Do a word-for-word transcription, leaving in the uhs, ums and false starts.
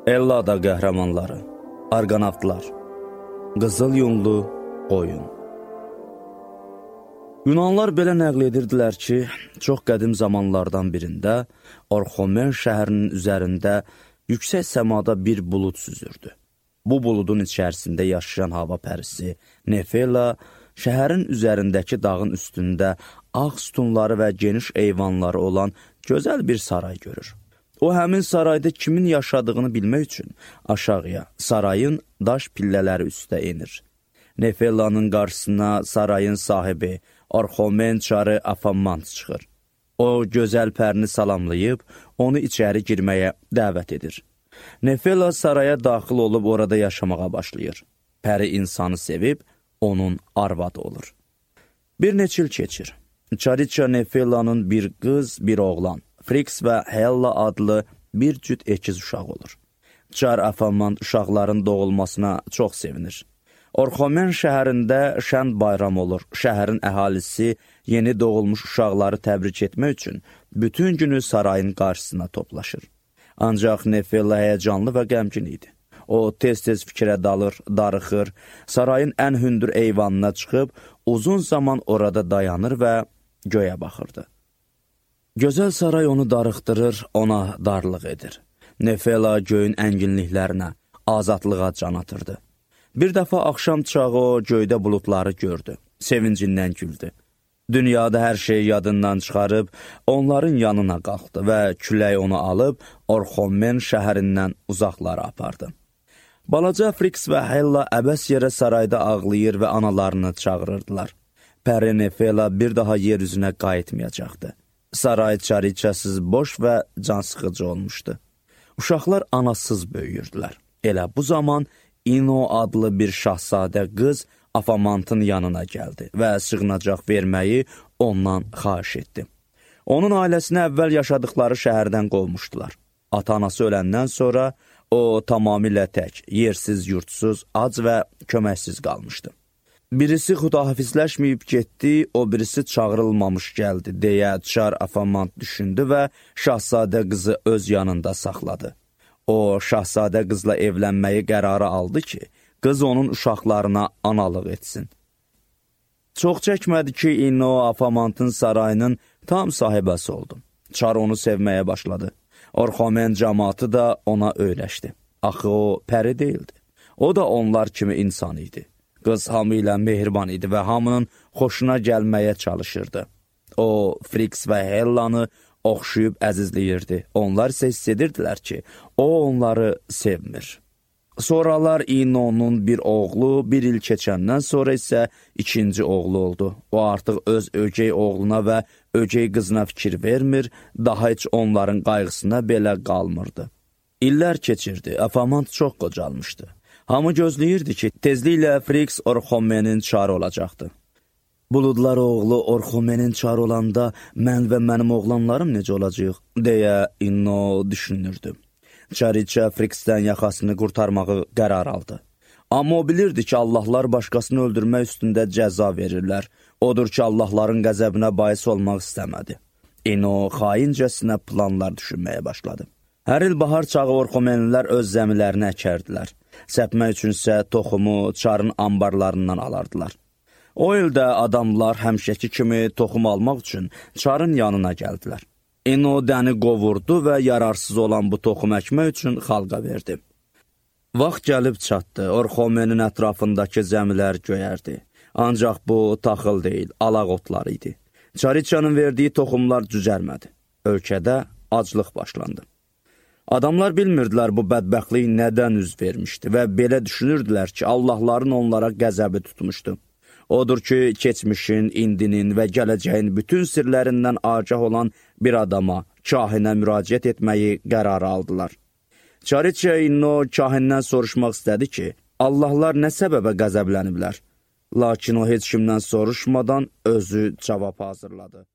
Ellada qəhrəmanları, arqonavtlar, qızıl yunlu qoyun. Yunanlar belə nəql edirdilər ki, çox qədim zamanlardan birində Orxomen şəhərinin üzərində yüksək səmada bir bulud süzürdü. Bu buludun içərisində yaşayan hava pərisi Nefela şəhərin üzərindəki dağın üstündə ağ sütunları və geniş eyvanları olan gözəl bir saray görür. O, həmin sarayda kimin yaşadığını bilmək üçün aşağıya, sarayın daş pillələri üstə enir. Nefela'nın qarşısına sarayın sahibi Orxomen çarı Afamant çıxır. O, gözəl pərini salamlayıb, onu içəri girməyə dəvət edir. Nefela saraya daxil olub orada yaşamağa başlayır. Pəri insanı sevib, onun arvadı olur. Bir neçə il keçir. Çariça Nefela'nın bir qız, bir oğlan, Friks və Hella adlı bir cüt əkiz uşaq olur. Çar Afamant uşaqların doğulmasına çox sevinir. Orxomen şəhərində şən bayram olur. Şəhərin əhalisi yeni doğulmuş uşaqları təbrik etmək üçün bütün günü sarayın qarşısına toplaşır. Ancaq Nefela həyəcanlı və qəmgin idi. O, tez-tez fikrə dalır, darıxır, sarayın ən hündür eyvanına çıxıb, uzun zaman orada dayanır və göyə baxırdı. Gözəl saray onu darıxdırır, ona darlıq edir. Nefela göyün ənginliklərinə, azadlığa can atırdı. Bir dəfə axşam çağı o göydə buludları gördü, sevincindən güldü. Dünyada hər şeyi yadından çıxarıb, onların yanına qalxdı və külək onu alıb, Orxomen şəhərindən uzaqlara apardı. Balaca Friks və Hella əbəs yerə sarayda ağlayır və analarını çağırırdılar. Pəri Nefela bir daha yer üzünə qayıtmayacaqdı. Saray çariçəsiz, boş və cansıxıcı olmuşdu. Uşaqlar anasız böyüyürdülər. Elə bu zaman İno adlı bir şahzadə qız Afamantın yanına gəldi və sığınacaq verməyi ondan xahiş etdi. Onun ailəsinə əvvəl yaşadıkları şəhərdən qovmuşdular. Ata-anası öləndən sonra o tamamilə tək, yersiz, yurtsuz, ac və köməksiz qalmışdı. Birisi xudahafizləşməyib getdi, o birisi çağırılmamış gəldi, deyə Çar Afamant düşündü və şahzadə qızı öz yanında saxladı. O, şahzadə qızla evlənməyi qərarı aldı ki, qız onun uşaqlarına analıq etsin. Çox çəkmədi ki, İnno Afamantın sarayının tam sahibəsi oldu. Çar onu sevməyə başladı. Orxomen cəmaatı da ona öyrəşdi. Axı o, pəri deyildi. O da onlar kimi insan idi. Qız hamı ilə mehriban idi və hamının xoşuna gəlməyə çalışırdı. O, Friks və Hellanı oxşuyub əzizləyirdi. Onlar isə hiss edirdilər ki, o onları sevmir. Sonralar İnno'nun bir oğlu bir il keçəndən sonra isə ikinci oğlu oldu. O artıq öz ögey oğluna və ögey qızına fikir vermir, daha heç onların qayğısına belə qalmırdı. İllər keçirdi, Afamant çox qocalmışdı. Hamı gözləyirdi ki, tezliklə Friks Orxomenin çarı olacaqdı. Buludlar oğlu Orxomenin çarı olanda mən və mənim oğlanlarım necə olacaq, deyə İnno düşünürdü. Çariçə Friksdən yaxasını qurtarmağı qərar aldı. Amma o bilirdi ki, Allahlar başqasını öldürmək üstündə cəza verirlər. Odur ki, Allahların qəzəbinə bais olmaq istəmədi. İnno xaincəsinə planlar düşünməyə başladı. Hər il bahar çağı Orxomenlilər öz zəmilərini əkərdilər. Səpmək üçünsə toxumu çarın ambarlarından alardılar. O ildə adamlar həmişəki kimi toxum almaq üçün çarın yanına gəldilər. İnno dəni qovurdu və yararsız olan bu toxum əkmək üçün xalqa verdi. Vaxt gəlib çatdı, Orxomenin ətrafındakı zəmilər göyərdi. Ancaq bu taxıl deyil, alaq otları idi. Çariçanın verdiyi toxumlar cücərmədi. Ölkədə aclıq başlandı. Adamlar bilmirdilər bu bədbəxtlik nədən üz vermişdi və belə düşünürdülər ki, Allahların onlara qəzəbi tutmuşdu. Odur ki, keçmişin, indinin və gələcəyin bütün sirlərindən agah olan bir adama, kahinə müraciət etməyi qərarı aldılar. Çariçə İnno kahindən soruşmaq istədi ki, Allahlar nə səbəbə qəzəbləniblər? Lakin o heç kimdən soruşmadan özü cavab hazırladı.